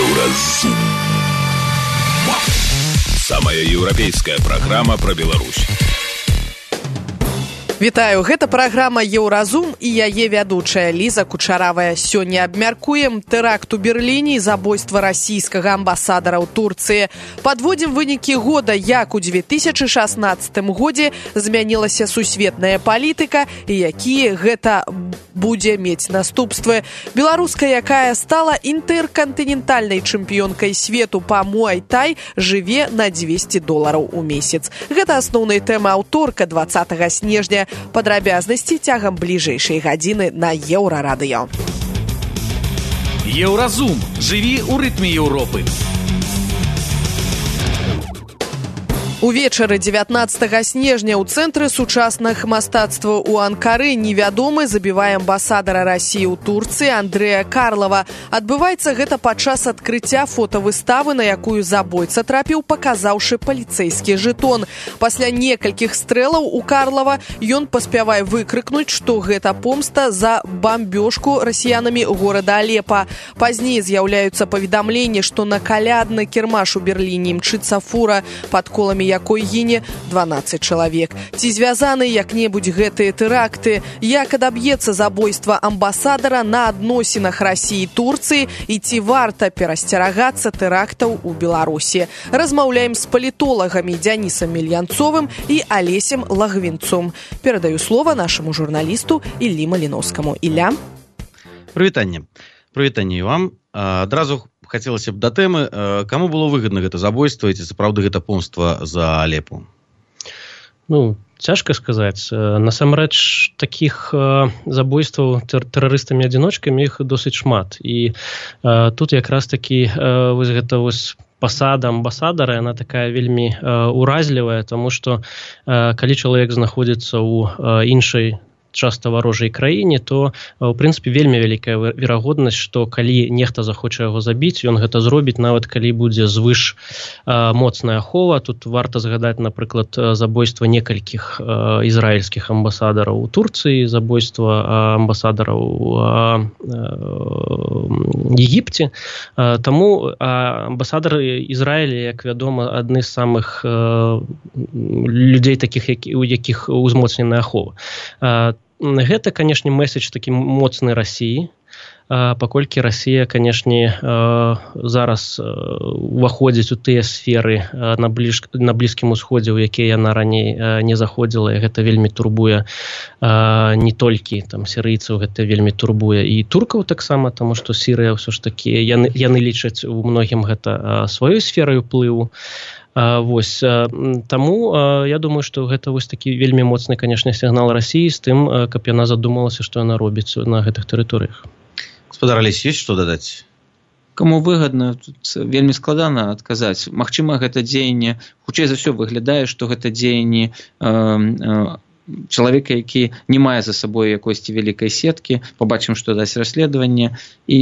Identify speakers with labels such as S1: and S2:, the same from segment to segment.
S1: Еўразум. Самая еўрапейская праграма пра Беларусь.
S2: Вітаю, гэта праграма «Еўразум» і яе вядучая Ліза Кучаравая. Сёння абмяркуем тэракт у Берліне і забойства расійскага амбасадара ў Турцыі. Падводзім вынікі года, як у 2016 годзе змянілася сусветная палітыка і якія гэта будзе мець наступствы. Беларуска, якая стала інтэркантынентальнай чэмпіёнкай свету па муай-тай, жыве на $200 у месяц. Гэта асноўныя тэмы аўторка 20 снежня. Падрабязнасці цягам бліжэйшай гадзіны на Еўрарадыё.
S3: Еўразум. Жыві ў рытме Еўропы.
S2: Увечары 19 снежня ў цэнтры сучасных мастацтваў у Анкары невядомы забівае амбасадара Расіі ў Турцыі Андрэя Карлава. Адбываецца гэта падчас адкрыцця фотавыставы, на якую забойца трапіў, паказаўшы паліцэйскі жэтон. Пасля некалькіх стрэлаў у Карлава ён паспявае выкрыкнуць, што гэта помста за бамбёжку расіянамі горада Алепа. Пазней з'яўляюцца паведамленні, што на калядны кірмаш у Берліне імчыцца фура, пад коламі якой гіне 12 чалавек. Ці звязаны як-небудзь гэтыя тэракты? Як адаб'ецца забойства амбасадара на адносінах Расіі і Турцыі? І ці варта перасцерагацца тэрактаў у Беларусі? Размаўляем з палітолагамі Дзянісам Мельянцовым і Алесем Лагвінцом. Перадаю слова нашаму журналісту Іллі Маліноўскаму. Ілля.
S4: Прывітанне. Прывітанне вам. Адразу хацелася б да тэмы, каму было выгадна гэта забойства і ці сапраўды гэта помства за Алепу?
S5: Цяжка сказаць. Насамрэч, такіх забойстваў тэрарыстамі-адзіночкамі іх досыць шмат. І тут якраз такі гэта пасада амбасадара, яна такая вельмі уразлівая, таму што калі чалавек знаходзіцца ў іншай часта варожай краіне, то, у прынцыпе, вельмі вялікая верагоднасць, што калі нехта захоча яго забіць, ён гэта зробіць, нават калі будзе звыш моцная ахова. Тут варта згадаць, напрыклад, забойства некалькіх ізраільскіх амбасадараў у Турцыі, забойства амбасадараў у Егіпце. Таму амбасадар Ізраіля, як вядома, адны з самых людзей такіх, у якіх узмоцненая ахова. Гэта, канешне, месседж такі моцны Расіі, паколькі Расія, канешне, зараз уваходзіць у тыя сферы на Блізкім Усходзе, у якія яна раней не заходзіла, і гэта вельмі турбуе не толькі сірыйцаў, гэта вельмі турбуе і туркаў таксама, таму што Сірыя ўсё ж такі, яны лічаць у многім гэта сваёй сферай уплыву. Таму я думаю, што гэта такі вельмі моцны, канешне, сігнал Расіі з тым, каб яна задумалася, што яна робіць на гэтых тэрыторыях.
S4: Гаспадар Алесь, ёсць што дадаць?
S6: Каму выгадна, тут вельмі складана адказаць. Магчыма, гэта дзеянне, хутчэй за ўсё выглядае, што гэта дзеянне чалавека, які не мае за сабой якосці вялікай сеткі, побачым, што дасць расследаванне, і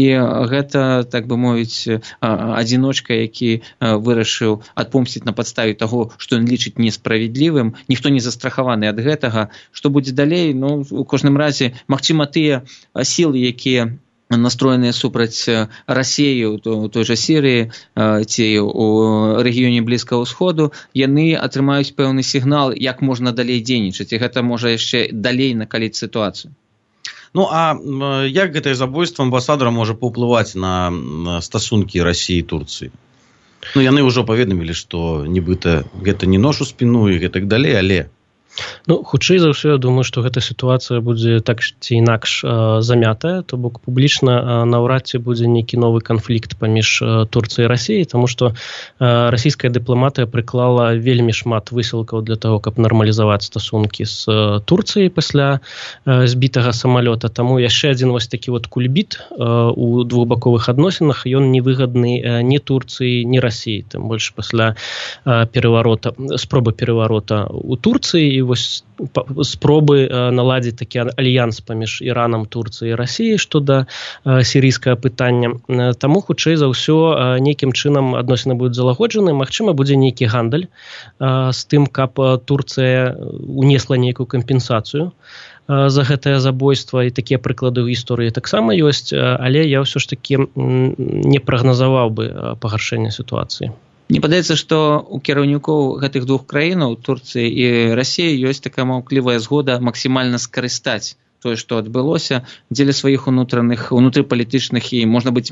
S6: гэта, так бы мовіць, адзіночка, які вырашыў адпомсціць на падставе таго, што ён лічыць несправядлівым, ніхто не застрахаваны ад гэтага. Што будзе далей? У кожным разе, магчыма, тыя сілы, якія настроеныя супраць Расіі у той жа Сірыі ці у рэгіёне Блізкага ўсходу, яны атрымаюць пэўны сігнал, як можна далей дзейнічаць, і гэта можа яшчэ далей накаліць сітуацыю.
S4: А як гэтае забойства амбасадара можа паўплываць на стасункі Расіі і Турцыі? Яны ўжо паведамілі, што нібыта гэта не нож у спіну і гэтак далей, але...
S5: Хутчэй за ўсё, я думаю, што гэта сітуацыя будзе так ці інакш замятая, то бок публічна наўрад ці будзе нейкі новы канфлікт паміж Турцыяй і Расіяй, таму што расійская дыпламатыя прыклала вельмі шмат высілкаў для таго, каб нармалізаваць стасункі з Турцыяй пасля збітага самалёта. Таму яшчэ адзін такі кульбіт у двухбаковых адносінах, ён невыгадны ні Турцыі, ні Расіі, тым больш пасля спробы пераварота у Турцыі, спробы наладзіць такі альянс паміж Іранам, Турцыяй і Расіяй што да сірійскага пытання. Таму, хутчэй за ўсё, нейкім чынам адносіны будуць залагоджаны. Магчыма, будзе нейкі гандаль з тым, каб Турцыя унесла нейкую кампенсацыю за гэтае забойства, і такія прыклады ў гісторыі таксама ёсць, але я ўсё ж такі не прагназаваў бы пагаршэння сітуацыі.
S6: Мне падаецца, што у кіраўнікоў гэтых двух краінаў, Турцыі і Расіі, ёсць такая маўклівая згода максімальна скарыстаць тое, што адбылося, дзеля сваіх унутрыпалітычных і, можа быць,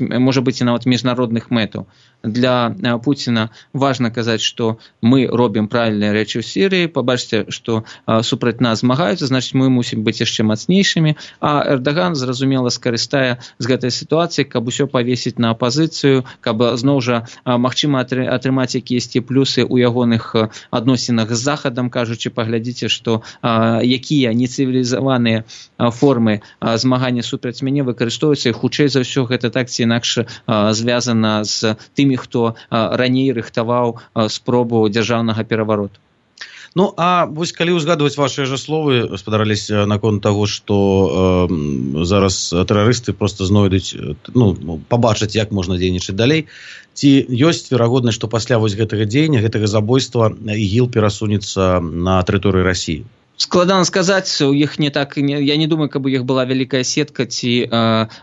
S6: і нават міжнародных мэтаў. Для Пуціна важна казаць, што мы робім правільныя рэчы ў Сірыі, пабачце, што супраць нас змагаюцца, значыць, мы мусім быць яшчэ мацнейшымі, а Эрдаган, зразумела, скарыстае з гэтай сітуацыі, каб усё павесіць на апазіцыю, каб зноў жа магчыма атрымаць якіясьці плюсы ў ягоных адносінах з Захадам, кажучы, паглядзіце, што якія нецывілізаваныя формы змагання супраць мяне выкарыстоўваюцца, і хутчэй за ўсё гэта так ці інакш звязана з тымі, хто раней рыхтаваў спробу дзяржаўнага перавароту.
S4: Ну, а вось калі ўзгадваць вашыя жа словы, спадарались наконт таго, што зараз тэрарысты проста знойдуць, пабачаць, як можна дзейнічаць далей, ці ёсць верагоднасць, што пасля вось гэтага дзеяння, гэтага забойства ІГІЛ перасунецца на тэрыторыі Расіі?
S6: Складана сказаць, у іх не так, я не думаю, каб у іх была вялікая сетка, ці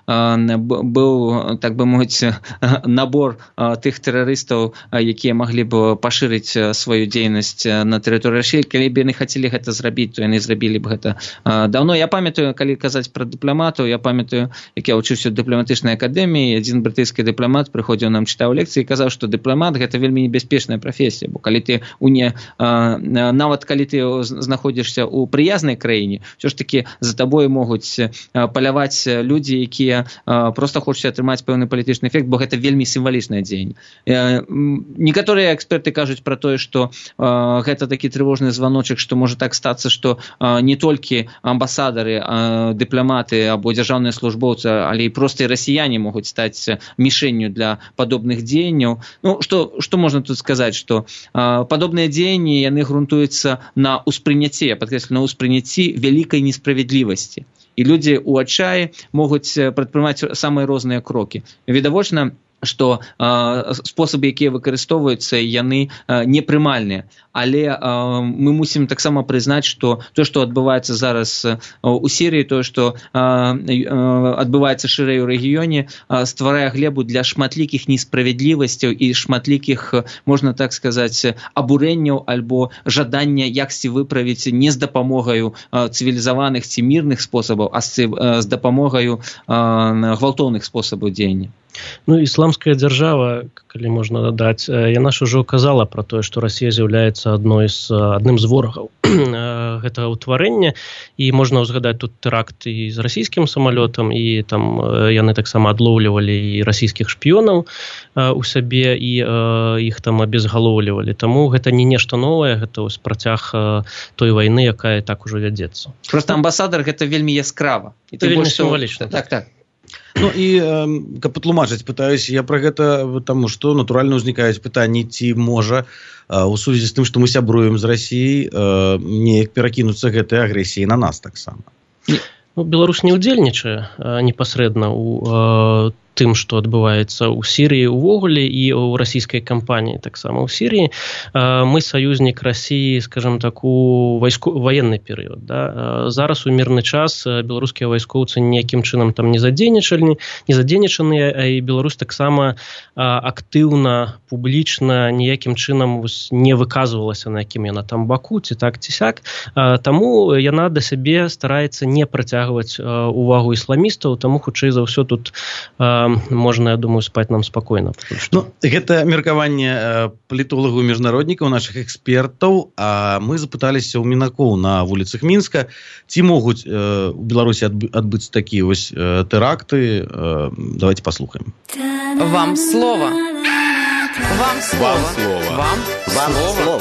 S6: быў, так бы мовіць, набор тых тэрарыстаў, якія маглі б пашырыць сваю дзейнасць на тэрыторыі Расіі. Калі б яны хацелі гэта зрабіць, то яны зрабілі б гэта даўно. Я памятаю, калі казаць пра дыпламатаў, я памятаю, як я вучыўся ў дыпламатычнай акадэміі, адзін брытанскі дыпламат прыходзіў нам, чытаў лекцыі і казаў, што дыпламат гэта вельмі небяспечная прафесія, бо калі ты нават калі ты знаходзішся у прыязнай краіне, ўсё ж такі за табой могуць паляваць людзі, якія проста хочуць атрымаць пэўны палітычны эфект, бо гэта вельмі сімвалічнае дзеянне. Некаторыя эксперты кажуць пра тое, што гэта такі трывожны званочак, што можа так стацца, што не толькі амбасадары, дыпламаты або дзяржаўныя службоўцы, але і проста і расіяне могуць стаць мішэнню для падобных дзеянняў. Ну, што можна тут сказаць, што падобныя дзеянні, яны грунтуюцца на ўспрыняцці, я падкрэслю, на ўспрыняцці вялікай несправядлівасці. І людзі ў адчаі могуць прадпрымаць самыя розныя крокі. Відавочна, што спосабы, якія выкарыстоўваюцца, яны непрымальныя. Але мы мусім таксама прызнаць, што тое, што адбываецца зараз у Сірыі, тое, што адбываецца шырэй у рэгіёне, стварае глебу для шматлікіх несправядлівасцяў і шматлікіх, можна так сказаць, абурэнняў альбо жадання яксьці выправіць не з дапамогаю цывілізаваных ці мірных спосабаў, а з дапамогаю гвалтоўных спосабаў дзеяння.
S5: Ну, ісламская дзяржава, калі можна дадаць, яна ж ужо казала пра тое, што Расія з'яўляецца адным з ворагаў гэтага ўтварэння, і можна ўзгадаць тут тэракт і з расійскім самалётам, і там яны таксама адлоўлівалі і расійскіх шпіёнаў у сабе, і іх там абезгалоўлівалі. Таму гэта не нешта новае, гэта вось працяг той вайны, якая так ужо вядзецца.
S6: Проста амбасадар гэта вельмі яскрава.
S5: Это вельмі сімвалічна.
S6: Так.
S4: Ну і каб патлумачыць, пытаюсь я пра гэта, таму што натуральна ўзнікаюць пытанні, ці можа у сувязі з тым, што мы сябруем з Расіяй, неяк перакінуцца гэтай агрэсіяй на нас таксама.
S5: Ну, Беларусь не ўдзельнічае непасрэдна ў тым, што адбываецца ў Сірыі ўвогуле і ў расійскай кампаніі таксама ў Сірыі. Мы саюзнік Расіі, скажем так, у ваенны перыяд. Да? Зараз у мірны час беларускія вайскоўцы ніякім чынам там не задзейнічаныя, а і Беларусь таксама актыўна, публічна ніякім чынам не выказвалася, на якім яна там баку, ці так, ці сяк. Таму яна да сябе стараецца не прыцягваць увагу ісламістаў, таму хутчэй за ўсё тут можна, я думаю, спаць нам спакойна.
S4: Ну, гэта меркаванне палітолагаў, міжнароднікаў, нашых экспертаў, а мы запыталіся ў мінакоў на вуліцах Мінска, ці могуць у Беларусі адбыцца такія вось тэракты. Давайте паслухаем.
S2: Вам слово. Вам слово.
S1: Вам слово.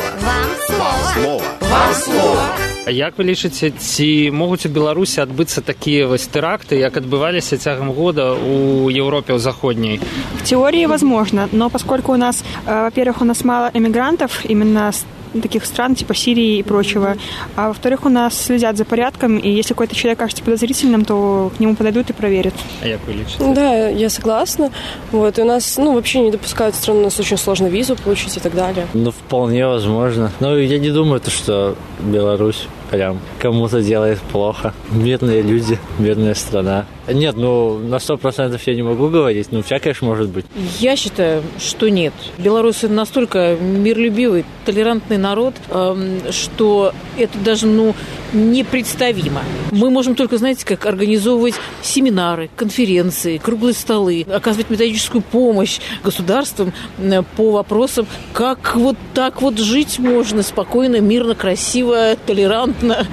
S2: Вам слово.
S1: Вам слово.
S7: Як вы лічыце, ці могуць у Беларусі адбыцца такія вось тэракты, як адбываліся цягам года у Европе, у заходняй?
S8: В теории возможно, но поскольку у нас, во-первых, у нас мало эмигрантов, именно с таких стран, типа Сирии и прочего, а во-вторых, у нас следят за порядком, и если какой-то человек кажется подозрительным, то к нему подойдут и проверят.
S7: А як вы лічыце?
S9: Да, я согласна. Вот, и у нас, вообще не допускают в страну, у нас очень сложно визу получить и так далее.
S10: Вполне возможно. Но я не думаю, что Беларусь прям кому-то делает плохо. Бедные люди, бедная страна. Нет, на 100% я не могу говорить, всякое ж может быть.
S11: Я считаю, что нет. Белорусы настолько миролюбивый, толерантный народ, что это даже, непредставимо. Мы можем только, как организовывать семинары, конференции, круглые столы, оказывать методическую помощь государствам по вопросам, как вот так вот жить можно спокойно, мирно, красиво, толерантно.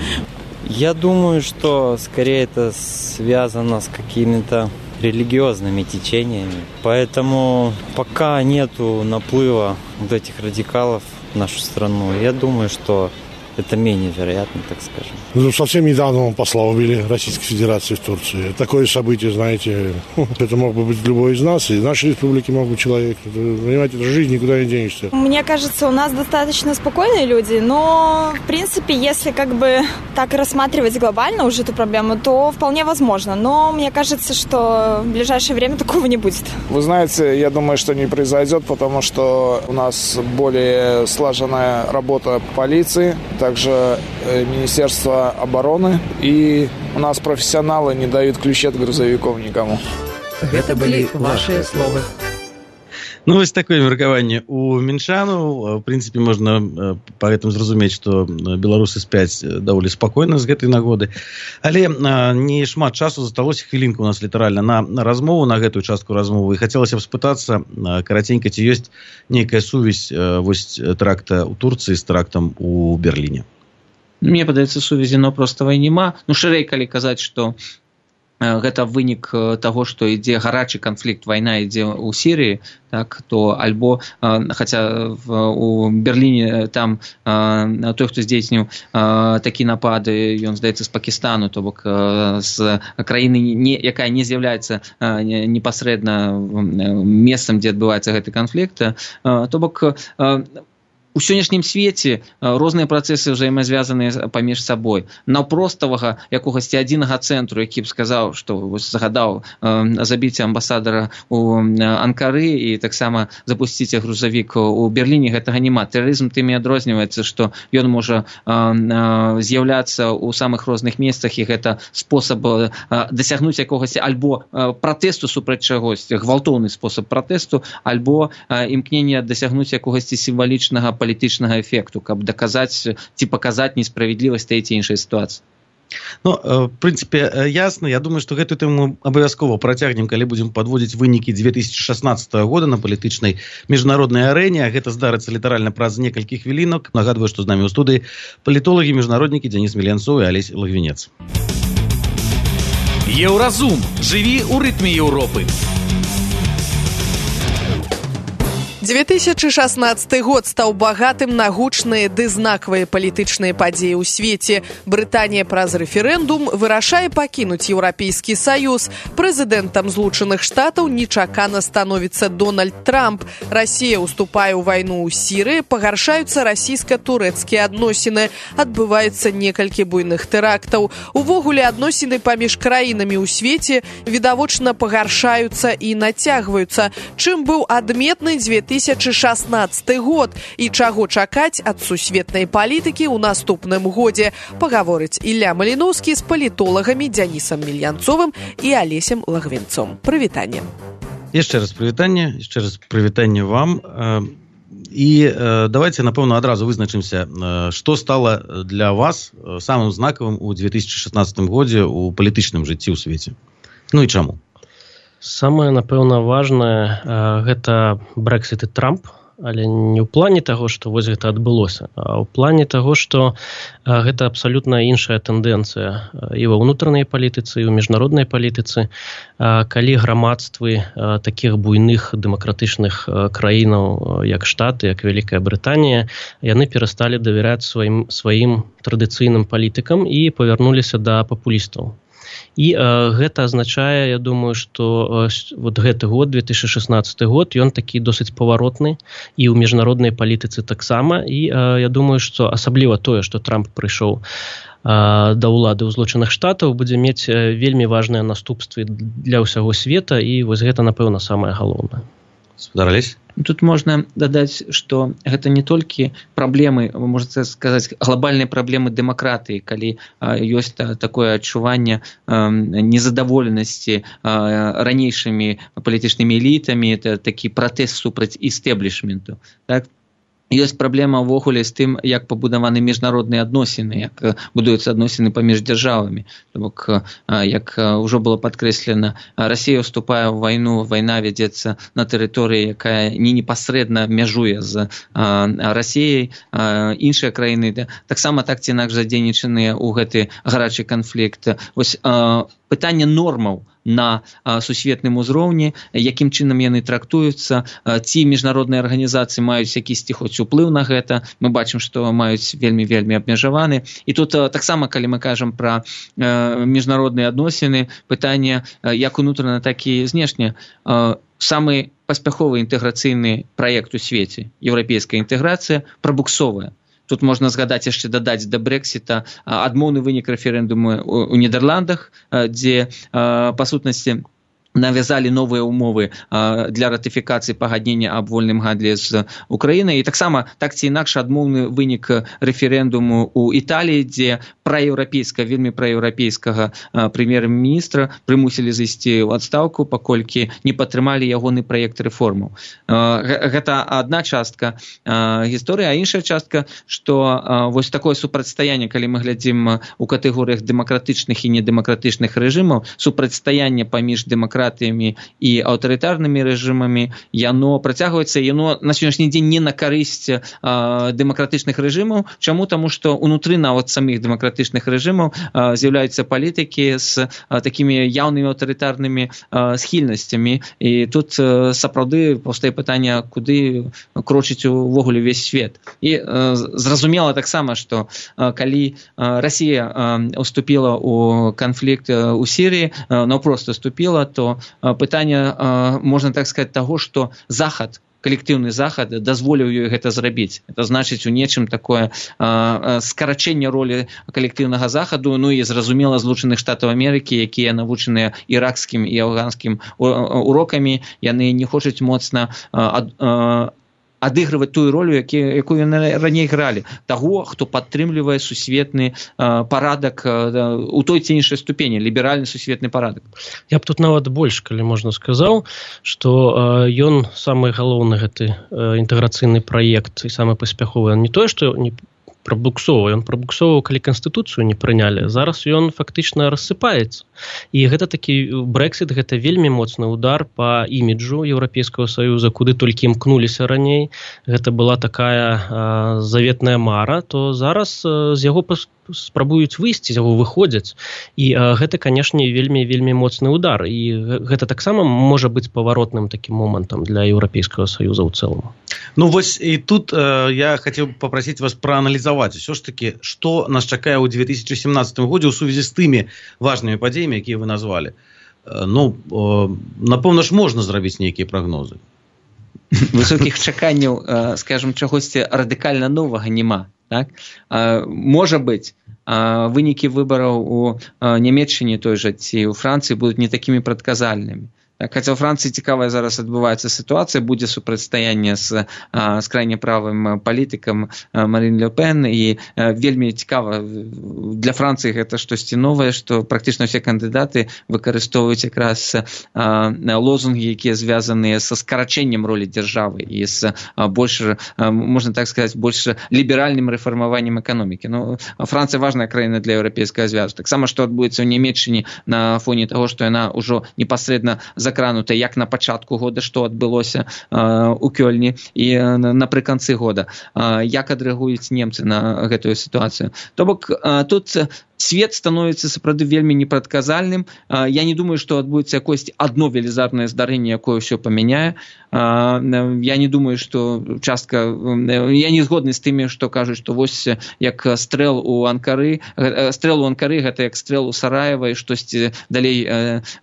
S12: Я думаю, что скорее это связано с какими-то религиозными течениями. Поэтому пока нету наплыва вот этих радикалов в нашу страну, я думаю, что это менее вероятно, так скажем.
S13: Совсем недавно посла убили Российской Федерации в Турции. Такое событие, знаете, это мог бы быть любой из нас, и в нашей республике мог быть человек. Понимаете, это жизнь, никуда не денешься.
S14: Мне кажется, у нас достаточно спокойные люди, но, в принципе, если так рассматривать глобально уже эту проблему, то вполне возможно. Но мне кажется, что в ближайшее время такого не будет.
S15: Вы знаете, я думаю, что не произойдет, потому что у нас более слаженная работа полиции, также Министерство обороны, и у нас профессионалы не дают ключи от грузовиков никому.
S1: Это были ваши слова.
S4: Вось такое меркаванне у мінчанаў. В прынцыпе, можна па гэтым зразумець, што беларусы спяць даволі спакойна з гэтай нагоды. Але не шмат часу засталося, хвілінка у нас літаральна на размову, на гэтую частку размовы. І хацелася б спытацца караценька, ці ёсць нейкая сувязь вось тэракта ў Турцыі з тэрактам у Берліне?
S6: Мне падаецца, сувязі простава няма. Шырэй, калі казаць, што гэта вынік таго, што ідзе гарачы канфлікт, вайна ідзе ў Сірыі, так, то альбо, хаця у Берліне там той, хто здзейсніў такі напады, ён, здаецца, з Пакістану, то бок з краіны, якая не з'яўляецца непасрэдна месцам, дзе адбываецца гэты канфлікт, то бок у сённяшнім свеце розныя працэсы ўзаемазвязаныя паміж сабой. Наўпроставага якогасьці адзінага цэнтру, які б сказаў, што загадаў забіць амбасадара у Анкары і таксама запусціць грузавік у Берліне, гэтага няма. Тэрарызм тым і адрозніваецца, што ён можа з'яўляцца ў самых розных месцах, і гэта спосаб дасягнуць якогасьці альбо пратэсту супраць чагосьці, гвалтоўны спосаб пратэсту, альбо імкнення дасягнуць якогасьці сімвалічнага палітычнага эфекту, каб даказаць ці паказаць несправядлівасць той ці іншай сітуацыі.
S4: В прынцыпе, ясна. Я думаю, што гэтую тэму абавязкова працягнем, калі будзем падводзіць вынікі 2016 года на палітычнай міжнароднай арэне. Гэта здарыцца літаральна праз некалькі хвілінак. Нагадваю, што з намі ў студыі палітолагі, міжнароднікі Дзяніс Меленцоў і Алесь Лагвінец.
S3: Еўразум. Жыві ў рытме Еўропы.
S2: 2016 год стаў багатым на гучныя ды знакавыя палітычныя падзеі ў свеце. Брытанія праз рэферэндум вырашае пакінуць Еўрапейскі Саюз. Прэзідэнтам Злучаных Штатаў нечакана становіцца Дональд Трамп. Расія ўступае ў вайну ў Сірыі, пагаршаюцца расійска-турэцкія адносіны. Адбываюцца некалькі буйных тэрактаў. Увогуле, адносіны паміж краінамі ў свеце відавочна пагаршаюцца і нацягваюцца. Чым быў адметны 2016 год і чаго чакаць ад сусветнай палітыкі ў наступным годзе, пагаворыць Ілля Маліноўскі з палітолагамі Дзянісам Мельянцовым і Алесем Лагвінцом. Прывітанне.
S4: Яшчэ раз прывітанне вам. І давайте, напэўна, адразу вызначымся, што стала для вас самым знакавым у 2016 годзе ў палітычным жыцці ў свеце. І чаму?
S5: Самае, напэўна, важнае гэта Брэкзіт і Трамп, але не ў плане таго, што вось гэта адбылося, а ў плане таго, што гэта абсалютна іншая тэндэнцыя і ва ўнутранай палітыцы, і ў міжнароднай палітыцы, калі грамадствы такіх буйных дэмакратычных краінаў, як Штаты, як Вялікая Брытанія, яны перасталі давяраць сваім традыцыйным палітыкам і павярнуліся да папулістаў. І гэта азначае, я думаю, што вот гэты год, 2016 год, ён такі досыць паваротны і ў міжнароднай палітыцы таксама. І я думаю, што асабліва тое, што Трамп прыйшоў да ўлады ў Злучаных Штатаў, будзе мець вельмі важныя наступствы для ўсяго света, і вось гэта, напэўна, самае галоўнае.
S4: Спадар Алесь?
S6: Тут можна дадаць, што гэта не толькі праблемы, можна сказаць, глобальныя праблемы дэмакратыі, калі ёсць такое адчуванне незадаволенасці ранейшымі палітычнымі элітамі, это такі пратэст супраць істэблішменту. Так? Ёсць праблема ўвогуле з тым, як пабудаваны міжнародныя адносіны, як будуюцца адносіны паміж дзяржавамі. Бок, як ўжо было падкрэслена, Расія ўступае ў вайну, вайна вядзецца на тэрыторыі, якая не непасрэдна мяжуе з Расіяй. Іншыя краіны таксама так ці інакш задзейнічаныя ў гэты гарачы канфлікт. Вось пытанне нормаў на сусветным узроўні, якім чынам яны трактуюцца, ці міжнародныя арганізацыі маюць якісьці хоць уплыў на гэта. Мы бачым, што маюць вельмі абмежаваны. І тут таксама, калі мы кажам пра міжнародныя адносіны, пытанне як унутрана, так і знешне. Самы паспяховы інтэграцыйны праект у свеце, еўрапейская інтэграцыя, прабуксовая. Тут можна згадаць яшчэ дадаць да Брэксіта адмоўны вынік рэферэндуму ў Нідерландах, дзе па сутнасці навязалі новыя ўмовы для ратыфікацыі пагаднення аб вольным гандлі з Украінай. І таксама так ці інакш адмоўны вынік рэферэндуму ў Італіі, дзе вельмі праеўрапейскага прэм'ер-міністра прымусілі зайсці ў адстаўку, паколькі не падтрымалі ягоны праект рэформаў. Гэта адна частка гісторыі, а іншая частка, што вось такое супрацьстаянне, калі мы глядзім у катэгорыях дэмакратычных і недэмакратычных рэжымаў, супрацьстаянне паміж дэмакратыямі і аўтарытарнымі рэжымамі, яно працягваецца, яно на сённяшні дзень не на карысць дэмакратычных рэжымаў. Чаму? Таму што ўнутры нават самых дэмакратычных рэжымаў з'яўляюцца палітыкі з такімі яўнымі аўтарытарнымі схільнасцямі. І тут сапраўды паўстае пытанне, куды крочыць увогуле ўвесь свет. І зразумела таксама, што калі Расія уступіла ў канфлікт у Сірыі, наўпрост уступіла, то пытанне, можна так сказаць, таго, што Захад, калектыўны Захад дазволіў ёй гэта зрабіць. Это значыць у нечым такое скарачэнне ролі калектыўнага Захаду, ну і зразумела Злучаных Штатаў Амерыкі, якія навучаныя іракскім і афганскім урокамі, яны не хочуць моцна адыгрываць тую ролю, якую яны раней гралі. Таго, хто падтрымлівае сусветны парадак у той ці іншай ступені, ліберальны сусветны парадак.
S5: Я б тут нават больш, калі можна, сказаў, што ён самы галоўны гэты інтэграцыйны праект і самы паспяховы. Не тое, што не прабуксовы. Ён прабуксоваў, калі Канстытуцыю не прынялі. Зараз ён фактычна рассыпаецца. І гэта такі Брэксіт, гэта вельмі моцны удар па іміджу Еўрапейскага Саюза, куды толькі імкнуліся раней. Гэта была такая заветная мара, то зараз з яго спрабуюць выйсці, з яго выходзяць. І гэта, канешне, вельмі моцны удар. І гэта таксама можа быць паваротным такім момантам для Еўрапейскага Саюза ў цэлым.
S4: Ну вось і тут я хацеў папрасіць вас прааналізаваць усё ж такі, што нас чакае ў 2017 годзе ў сувязі з тымі важнымі падзеямі, якія вы назвалі. Ну, напэўна ж можна зрабіць нейкія прагнозы.
S6: Высокіх чаканняў, скажем, чагосьці радыкальна новага няма. Так? Можа быць, вынікі выбараў у Нямецчыне той жа ці ў Францыі будуць не такімі прадказальнымі. Хаця ў Францыі цікавая зараз адбываецца сітуацыя, будзе супрацьстаянне з крайне правым палітыкам Марин Ле Пен, і вельмі цікава для Францыі гэта штосьці новае, што практычна ўсе кандыдаты выкарыстоўваюць якраз лозунгі, якія звязаныя са скарачэннем ролі дзяржавы і з больш, можна так сказаць, больш ліберальным рэфармаваннем эканомікі. Ну, Францыя важная краіна для Еўрапейскага звязу. Таксама, што адбудзецца ў Нямецчыне на фоне таго, што яна ўжо непасрэдна закранута як на пачатку года, што адбылося у Кёльні, і напрыканцы года. Як адрэагуюць немцы на гэтую сітуацыю? То бок, тут свет становіцца сапраўды вельмі непрадказальным. Я не думаю, што адбудзецца якосьці адно велізарнае здарэнне, якое ўсё памяняе. Я не думаю, што частка... Я не згодны з тымі, што кажуць, што вось як стрэл у Анкары, гэта як стрэл у Сараева, і штосьці далей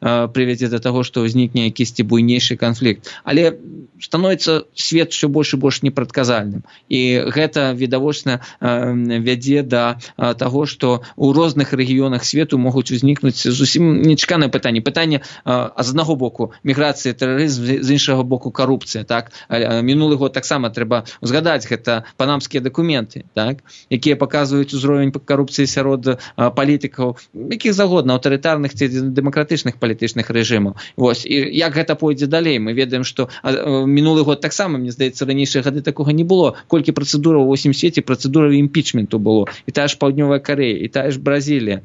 S6: прывядзе да таго, што ўзнікне якісьці буйнейшы канфлікт. Але становіцца свет все больш і больш непрадказальным. І гэта відавочна вядзе да таго, што ў розных рэгіёнах свету могуць узнікнуць зусім нечаканае пытанне. Пытанне з аднаго боку міграцыя, тэрарызм, з іншага боку карупцыя. Так? Мінулы год таксама трэба узгадаць, гэта панамскія дакументы, так? Якія паказваюць узровень карупцыі сярод палітыкаў, якіх загодна, аўтарытарных ці дэмакратычных палітычных рэжымаў. Вось. І як гэта пойдзе далей? Мы ведаем, што мінулы год таксама, мне здаецца, ранейшыя гады такога не было. Колькі працэдураў у 8 свеце, працэдураў імпічменту было. І тая ж Паўднёвая Карэя, і тая ж Бразілія.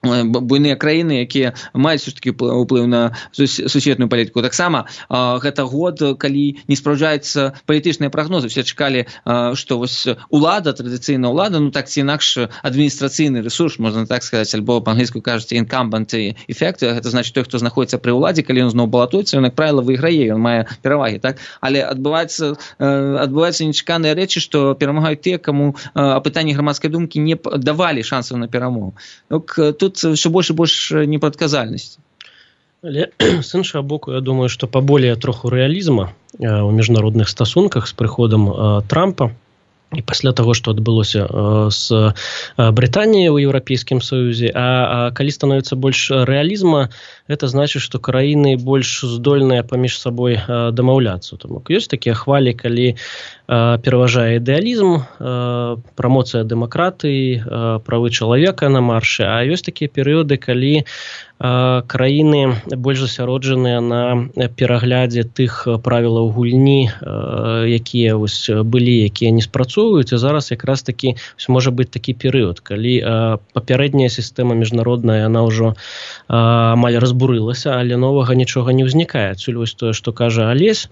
S6: Буйныя краіны, якія маюць такі ўплыў на сусветную палітыку. Таксама гэта год, калі не спраўджаюцца палітычныя прагнозы. Все чакалі, што вось улада, традыцыйная ўлада, ну так ці інакш адміністрацыйны рэсурс, можна так сказаць, альбо па-англійску кажуць incumbent effect, гэта значыць той, хто знаходзіцца пры ўладзе, калі ён зноў балатуецца, ён, як правіла, выйграе, ён мае перавагі, так? Але адбываюцца нечаканыя рэчы, што перамагаюць тыя, каму апытанні грамадскай думкі не давалі шансаў на перамогу. Тут все больш і больш непрадказальнасці.
S5: Але з іншага боку, я думаю, што паболее троху рэалізма ў міжнародных стасунках з прыходам Трампа і пасля таго, што адбылося з Брытаніяй у Еўрапейскім Саюзе, а калі становіцца больш рэалізма, гэта значыць, што краіны больш здольныя паміж сабой дамаўляцца. Таму ёсць такія хвалі, калі пераважае ідэалізм, прамоцыя дэмакратыі, правы чалавека на маршы, а ёсць такія перыяды, калі краіны больш засяроджаныя на пераглядзе тых правілаў гульні, якія вось былі, якія не спрацоўваюць, а зараз якраз такі можа быць такі перыяд, калі папярэдняя сістэма міжнародная, яна ўжо амаль разбурылася, але новага нічога не ўзнікае. Адсюль вось тое, што кажа Алесь,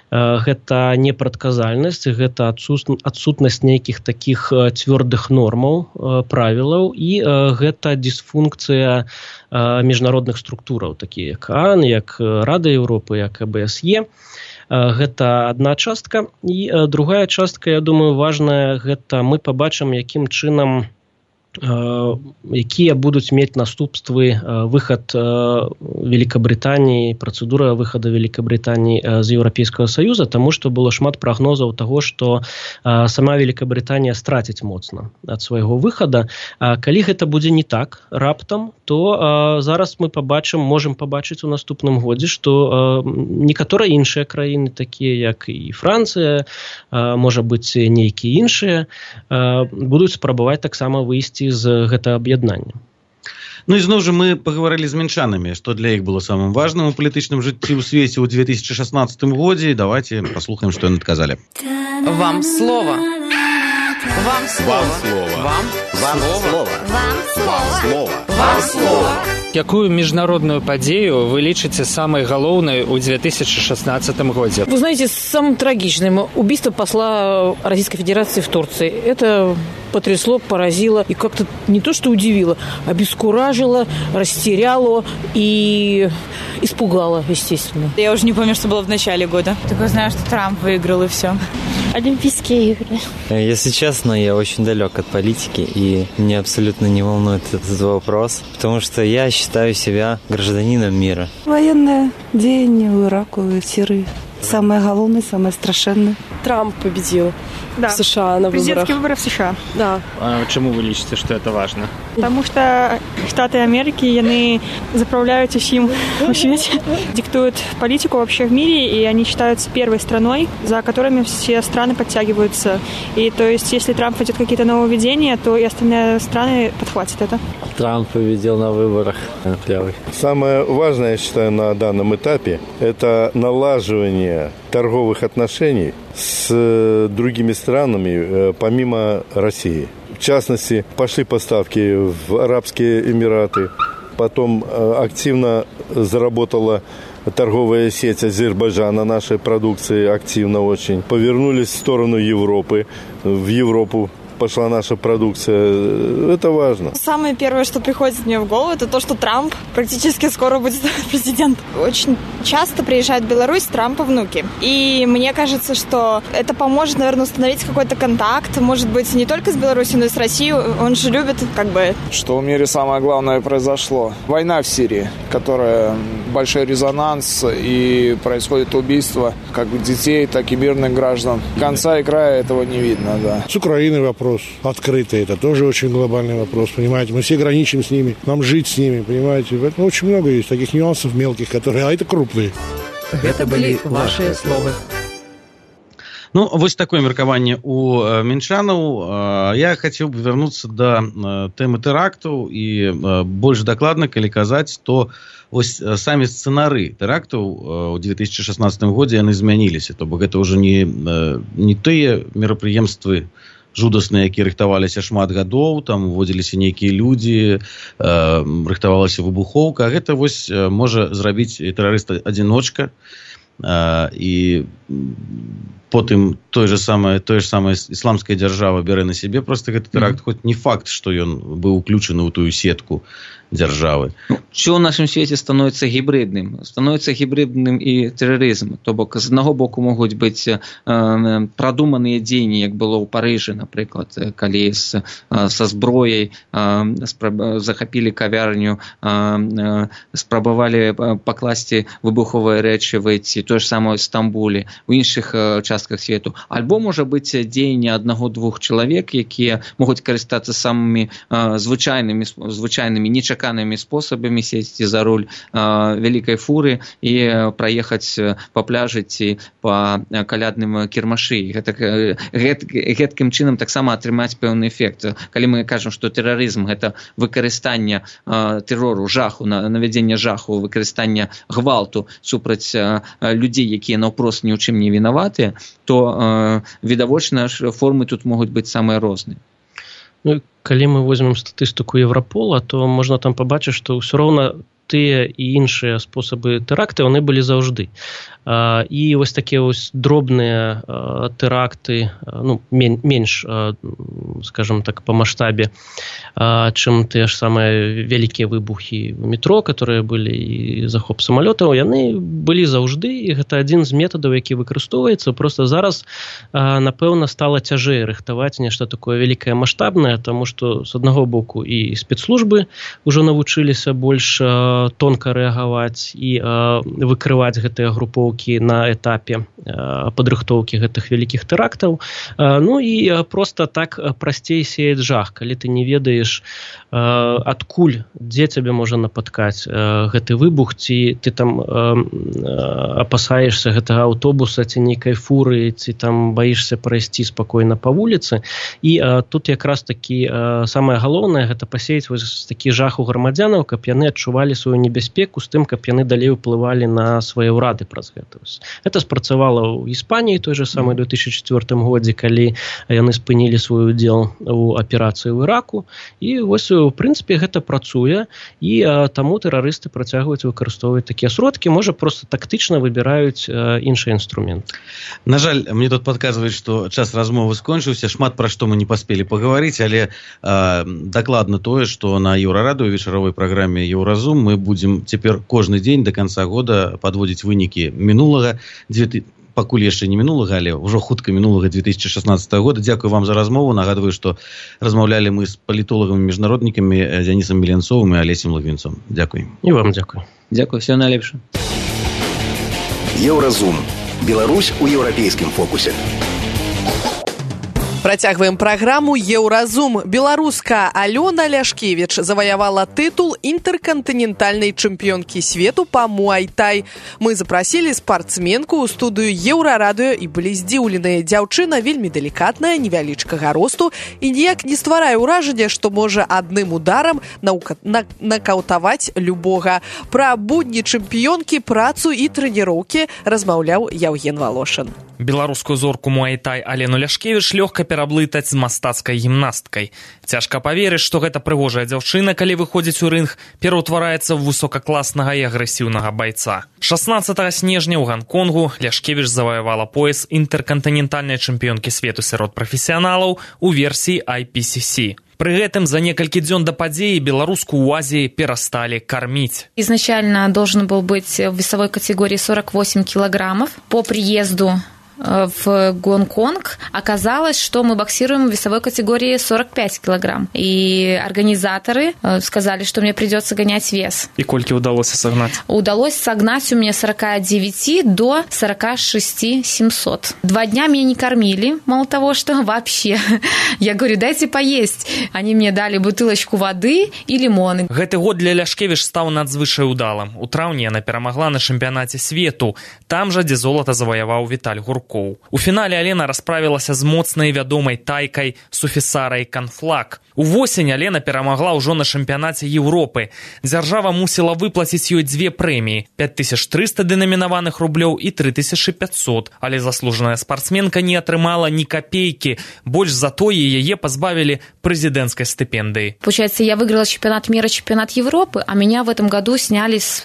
S5: гэта непрадказальнасць, гэта адсутнасць нейкіх такіх цвёрдых нормаў, правілаў, і гэта дысфункцыя міжнародных структураў, такія як ААН, як Рада Еўропы, як АБСЕ. Гэта адна частка. І другая частка, я думаю, важная, гэта мы пабачым, якім чынам якія будуць мець наступствы выхад Великабрытаніі, працэдура выхада Великабрытаніі з Еўрапейскага Саюза, таму што было шмат прагнозаў таго, што сама Великабрытанія страціць моцна ад свайго выхада. Калі гэта будзе не так раптам, то зараз мы можам пабачыць у наступным годзе, што некаторыя іншыя краіны, такія як і Францыя, можа быць нейкія іншыя, будуць спрабаваць таксама выйсці з гэтага аб'яднання.
S4: Ну і зноў жа мы пагаварылі з мінчанамі, што для іх было самым важным у палітычным жыцці ў свеце ў 2016 годзе. Давайте паслухаем, што яны адказалі.
S1: Вам слово. Вам слово. Вам слово. Вам слово. Вам слово.
S7: Якую міжнародную падзею вы лічыце самай галоўнай у 2016 годзе?
S11: Вы знаете, самым трагичным убийство посла Российской Федерации в Турции. Это потрясло, поразило и как-то не то что удивило, обескуражило, растеряло и испугало, естественно.
S14: Я уже не помню, что было в начале года. Только знаю, что Трамп выиграл и все.
S9: Олимпийские игры.
S12: Если честно, я очень далек от политики, и меня абсолютно не волнует этот вопрос, потому что я считаю себя гражданином мира.
S16: Военное деяние в Ираку и в Сирии. Самое головное, самое страшное.
S9: Трамп победил
S8: в
S9: США на выборах.
S8: Президентские выборы в США.
S9: Да.
S7: А чему вы лічыце, что это важно?
S8: Потому что Штаты Америки, яны заправляют усім у свете, диктуют политику вообще в мире, и они считаются первой страной, за которыми все страны подтягиваются. И то есть, если Трамп ведет какие-то нововведения, то и остальные страны подхватят это.
S10: Трамп победил на выборах.
S13: Самое важное, я считаю, на данном этапе, это налаживание торговых отношений с другими странами, помимо России. В частности, пошли поставки в Арабские Эмираты, потом активно заработала торговая сеть Азербайджана нашей продукции, активно очень. Повернулись в сторону Европы, в Европу
S17: пошла наша продукция. Это важно.
S14: Самое первое, что приходит мне в голову, это то, что Трамп практически скоро будет президент. Очень часто приезжают в Беларусь Трампа внуки. И мне кажется, что это поможет, наверное, установить какой-то контакт, может быть, не только с Беларусью, но и с Россией. Он же любит,
S15: Что в мире самое главное произошло. Война в Сирии, которая большой резонанс, и происходит убийство как детей, так и мирных граждан. Конца и края этого не видно, да.
S13: С Украиной вопрос открытый, это тоже очень глобальный вопрос, понимаете. Мы все граничим с ними, нам жить с ними, понимаете. Поэтому очень много есть таких нюансов мелких, которые, а это крупные.
S2: Это были ваши словы.
S4: Ну, вось такое меркаванне у мінчанаў. Я хацеў бы вярнуцца да тэмы тэрактаў і больш дакладна, калі казаць, то вось самі сцэнары тэрактаў у 2016 годзе яны змяніліся. То бок гэта ўжо не тыя мерапрыемствы жудасныя, якія рыхтаваліся шмат гадоў, там уводзіліся нейкія людзі, рыхтавалася выбухоўка. А гэта вось можа зрабіць тэрарыст-адзіночка, і потым тое ж самае ісламская дзяржава бярэ на сябе просто гэты тэракт, хоць не факт, што ён быў уключаны ў тую сетку дзяржавы.
S6: Все ў нашым свеце становіцца гібридным і тэрарызм. То бок з аднаго боку могуць быць прадуманыя дзеянні, як было ў Парыжы, напрыклад, калі са зброяй захапілі кавярню, спрабавалі пакласці выбуховыя рэчывы, ці тое ж самае ў Стамбуле, у іншых частках свету. Альбо можа быць дзеянне аднаго-двух чалавек, якія могуць карыстацца самымі звычайнымі нечаканымі спосабамі, сесці за руль вялікай фуры і праехаць па пляжы ці па калядным кірмашы. Гэткім чынам таксама атрымаць пэўны эфект. Калі мы кажам, што тэрарызм гэта выкарыстанне тэрору, жаху, навядзення жаху, выкарыстанне гвалту супраць людзей, якія наўпрост ні ў чым не вінаватыя, то відавочна формы тут могуць быць самыя розныя.
S5: Ну, калі мы возьмем статыстыку Еўрапола, то можна там пабачыць, што ўсё роўна тыя і іншыя спосабы тэракты, яны былі заўжды. І вось такія вось дробныя тэракты, ну, менш, скажем так, па маштабе, чым тыя ж самыя вялікія выбухі ў метро, которые былі, і захоп самалётаў, яны былі заўжды, і гэта адзін з метадаў, які выкарыстоўваецца. Просто зараз, напэўна, стала цяжэй рыхтаваць нешта такое вялікае маштабнае, таму што з аднаго боку і спецслужбы ўжо навучыліся больш тонка рэагаваць і выкрываць гэтыя групоўкі на этапе падрыхтоўкі гэтых вялікіх тэрактаў. Ну і проста так прасцей сеяць жах, калі ты не ведаеш, адкуль, дзе цябе можа напаткаць гэты выбух, ці ты там апасаешся гэтага аўтобуса ці нейкай фуры, ці там баішся прайсці спакойна па вуліцы. І тут якраз такі самае галоўнае, гэта пасеяць вось такі жах у грамадзянаў, каб яны адчувалі сваю небяспеку з тым, каб яны далей уплывалі на свае ўрады праз гэта. Гэта спрацавала ў Іспаніі той же самый 2004 годзе, калі яны спынілі свой удзел у аперацыі ў Іраку. І вось, у прынцыпе, гэта працуе, і таму тэрарысты працягваюць выкарыстоўваць такія сродкі, можа, проста тактычна выбіраюць іншыя інструменты.
S4: На жаль, мне тут падказваюць, што час размовы скончыўся, шмат пра што мы не паспелі пагаварыць, але дакладна тое, што на Еўрарадыё вечаровай праграме Еўразум мы будзем цяпер кожны дзень да канца года падводзіць вынікі мінулага, пакуль яшчэ не мінулага, але ўжо хутка мінулага 2016 года. Дзякую вам за размову. Нагадваю, што размаўлялі мы з палітолагамі-міжнароднікамі Дзянісам Меленцовым і Алесем Лагвінцом. Дзякуй.
S5: І вам дзякуй.
S6: Дзякуй, всего найлепшага.
S18: Еўразум. Беларусь у еўрапейскім фокусе.
S2: Працягваем праграму «Еўразум». Беларуска Алёна Ляшкевіч заваявала тытул інтэркантынентальнай чэмпіёнкі свету па муай-тай. Мы запрасілі спартсменку ў студыю Еўрарадыё і былі здзіўленыя. Дзяўчына вельмі далікатная, невялічкага росту і ніяк не стварае ўражання, што можа адным ударам накаўтаваць любога. Пра будні чэмпіёнкі, працу і трэніроўкі размаўляў Яўген Волошин.
S19: Беларускую зорку муай-тай Алену Ляшкевіч лёгка пераблытаць з мастацкай гімнасткай. Цяжка паверыць, што гэта прыгожая дзяўчына, калі выходзіць у рынг, пераўтвараецца ў высокакласнага і агрэсіўнага байца. 16 снежня ў Ганконгу Ляшкевіч заваявала пояс інтэркантынентальнай чэмпіёнкі свету сярод прафесіяналаў у версіі IPCC. Пры гэтым за некалькі дзён да падзеі беларуску ў Азіі перасталі кормить.
S20: Изначально должен был быть в весовой категории 48 килограммов. По приезду в Гонконг оказалось, что мы боксируем в весовой категории 45 килограмм. И организаторы сказали, что мне придется гонять вес.
S19: И кольки удалось согнать?
S20: Удалось согнать у меня 49 до 46 700. 2 дня меня не кормили, мало того, что вообще. Я говорю, дайте поесть. Они мне дали бутылочку воды и лимоны.
S19: Гэты год для Ляшкевіч стаў надзвычай удалым. У траўні яна перамагла на чэмпіянаце свету. Там жа, дзе золата заваяваў Віталь Гуркоў. У фінале Алена расправілася з моцнай вядомай тайкай Суфісарай Канфлак. Увосень Алена перамагла ўжо на чэмпіянаце Еўропы. Дзяржава мусіла выплаціць ёй 2 прэміі – 5300 дэнамінаваных рублёў і 3500. Але заслужаная спартсменка не атрымала ні капейкі. Больш за тое яе пазбавілі прэзідэнцкай стыпендыі.
S20: Получается, я выиграла чемпионат мира, чемпионат Европы, а меня в этом году сняли с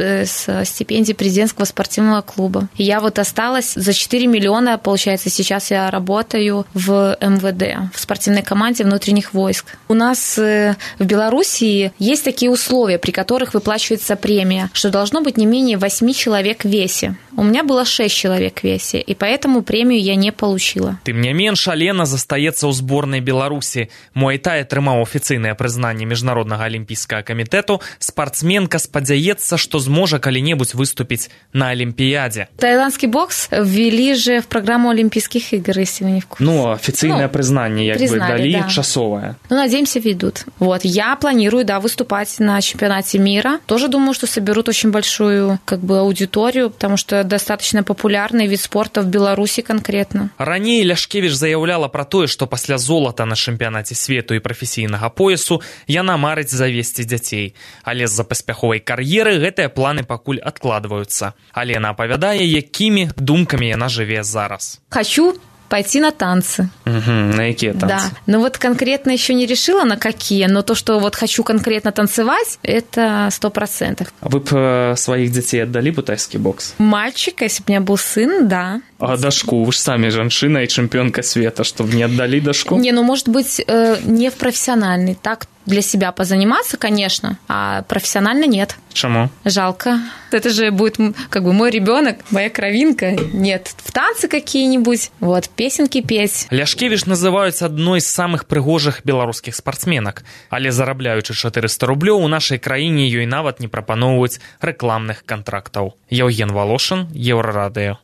S20: стипендии президентского спортивного клуба. И я вот осталась за 4 миллиона. Получается, сейчас я работаю в МВД, в спортивной команде внутренних войск. У нас в Белоруссии есть такие условия, при которых выплачивается премия, что должно быть не менее 8 человек в весе. У меня было 6 человек в весе, и поэтому премию я не получила.
S19: Тым не менш, Алена застаецца ў зборнай Беларусі. Муай-тай атрымаў афіцыйнае прызнанне Міжнароднага алімпійскага камітэту. Спартсменка спадзяецца, што зможа калі-небудзь выступіць на Олимпиаде.
S20: Таиландский бокс ввели же в программу Олимпийских игр, если вы не в курсе.
S19: Ну, официальное признание, дали,
S20: да.
S19: Часовое.
S20: Ну, надеемся, ведут. Вот, я планирую, да, выступать на чемпионате мира. Тоже думаю, что соберут очень большую, аудиторию, потому что достаточно популярный вид спорта в Беларуси конкретно.
S19: Раней Ляшкевіч заяўляла пра тое, што пасля золата на чэмпіянаце свету і прафесійнага поясу яна марыць завесці дзяцей. Але з-за паспяховай кар'еры гэтыя планы пакуль адкладваюцца. Алена апавядае, якімі думкамі яна жыве зараз.
S20: Хочу пойти на танцы.
S19: На какие танцы?
S20: Да. Ну вот конкретно еще не решила, на какие, но то, что вот хочу конкретно танцевать, это 100%.
S19: А вы бы своих детей отдали бы тайский бокс?
S20: Мальчика, если бы у меня был сын, да.
S19: А дашку? Вы же сами женщина и чемпионка света, чтобы не отдали дашку?
S20: Не, ну может быть не в профессиональный, так для себя позаниматься, конечно, а профессионально нет.
S19: Чему?
S20: Жалко. Это же будет мой ребенок, моя кровинка. Нет, в танцы какие-нибудь, вот, песенки петь.
S19: Ляшкевіч называюць адной з самых прыгожых беларускіх спартсменак, але зарабляючы 400 рублёў у нашай краіне ёй нават не прапаноўваюць рэкламных кантрактаў. Евген Волошин, Еўрарадыё.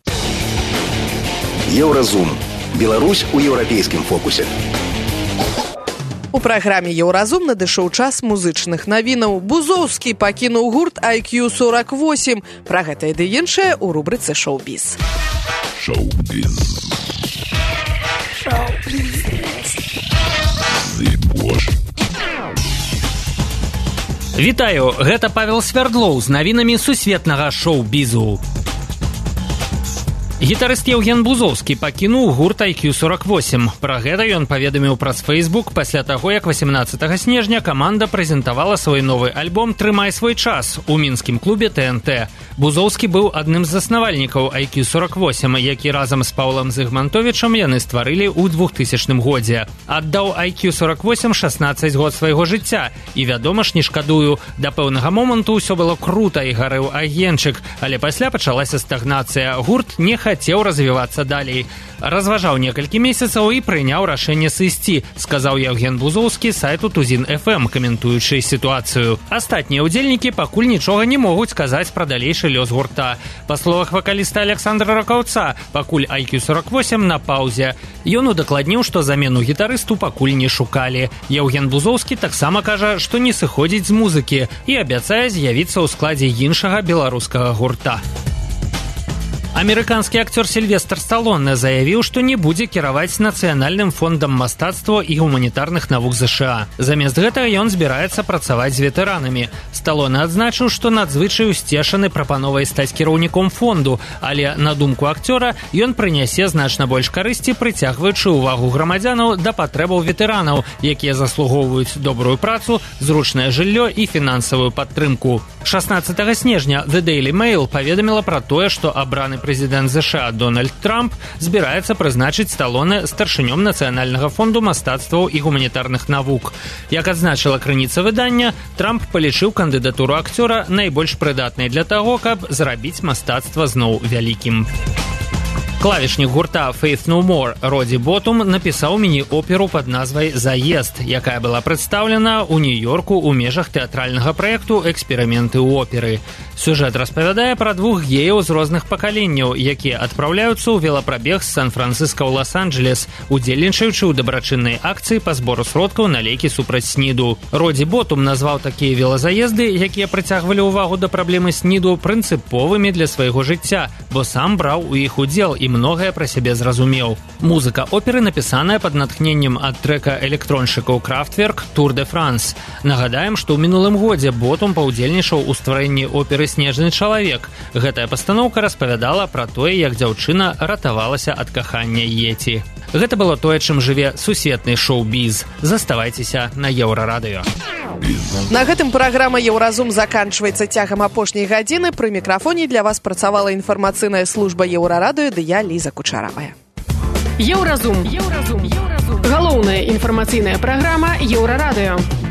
S18: Еўразум. Беларусь у еўрапейскім фокусе.
S2: У праграме «Еўразум» надышоў час музычных навінаў. Бузоўскі пакінуў гурт IQ48. Пра гэта і іншае ў рубрыцы «Шоу-біз».
S21: Шоу-біз.
S3: Вітаю, гэта Павел Свярдлоў з навінамі сусветнага шоу-бізу. Гітарыст Евген Бузоўскі пакінуў гурт IQ48. Пра гэта ён паведаміў праз Facebook пасля таго, як 18 снежня каманда прэзентавала свой новы альбом «Трымай свой час» у мінскім клубе ТНТ. Бузоўскі быў адным з заснавальнікаў IQ48, які разам з Паўлам Зыгмантовічам яны стварылі ў 2000 годзе. Аддаў IQ48 16 год свайго жыцця. І, вядома ж, не шкадую, да пэўнага моманту ўсё было крута і гарэў агеньчык, але пасля пачалася стагнацыя. Гурт не хацеў развівацца далей. Разважаў некалькі месяцаў і прыняў рашэнне сысці, сказаў Евген Бузоўскі сайту Тузін FM, каментуючы сітуацыю. Астатнія ўдзельнікі пакуль нічога не могуць сказаць пра далейшы лёс гурта. Па словах вакаліста Александра Ракаўца, пакуль IQ48 на паўзе. Ён удакладніў, што замену гітарысту пакуль не шукалі. Евген Бузоўскі таксама кажа, што не сыходзіць з музыкі і абяцае з'явіцца ў складзе іншага беларускага гурта. Амерыканскі акцёр Сільвестр Сталоне заявіў, што не будзе кіраваць Нацыянальным фондам мастацтва і гуманітарных навук ЗША. Замест гэтага ён збіраецца працаваць з ветэранамі. Сталоне адзначыў, што надзвычай усцешаны прапановай стаць кіраўніком фонду, але, на думку акцёра, ён прынясе значна больш карысці, прыцягваючы ўвагу грамадзянаў да патрэбаў ветэранаў, якія заслугоўваюць добрую працу, зручнае жыллё і фінансавую падтрымку. 16 снежня The Daily Mail паведаміла пра тое, што абраны прэзідэнт ЗША Дональд Трамп збіраецца прызначыць Сталоне старшынём Нацыянальнага фонду мастацтваў і гуманітарных навук. Як адзначыла крыніца выдання, Трамп палічыў кандыдатуру акцёра найбольш прыдатнай для таго, каб зрабіць мастацтва зноў вялікім. Клавішнік гурта Faith No More Роді Ботум напісаў міні-оперу пад назвай «Заезд», якая была прадстаўлена ў Нью-Йорку ў межах тэатральнага праекту «Эксперыменты ў оперы». Сюжэт распавядае пра двух геяў з розных пакаленняў, якія адпраўляюцца ў велапрабег з Сан-Францыска ў Лас-Анджелес, удзельнічаючы ў дабрачыннай акцыі па збору сродкаў на лекі супраць СНІДу. Роді Ботум назваў такія велазаезды, якія прыцягвалі ўвагу да праблемы СНІДу, прынцыповымі для свайго жыцця, бо сам браў у іх удзел і многае пра сябе зразумеў. Музыка оперы напісаная пад натхненнем ад трэка электроншчыкаў Kraftwerk «Tour de France». Нагадаем, што ў мінулым годзе Ботум паўдзельнічаў у стварэнні оперы «Снежны чалавек». Гэтая пастаноўка распавядала пра тое, як дзяўчына ратавалася ад кахання Йеці. Гэта было тое, чым жыве сусветны шоу-біз. Заставайцеся на Еўрарадыё.
S2: На гэтым праграма «Еўразум» заканчваецца цягам апошняй гадзіны. Пры мікрафоне для вас працавала інфармацыйная служба Еўрарадыё, ды я Ліза Кучаравая.
S1: Еўразум. Галоўная інфармацыйная праграма Еўрарадыё.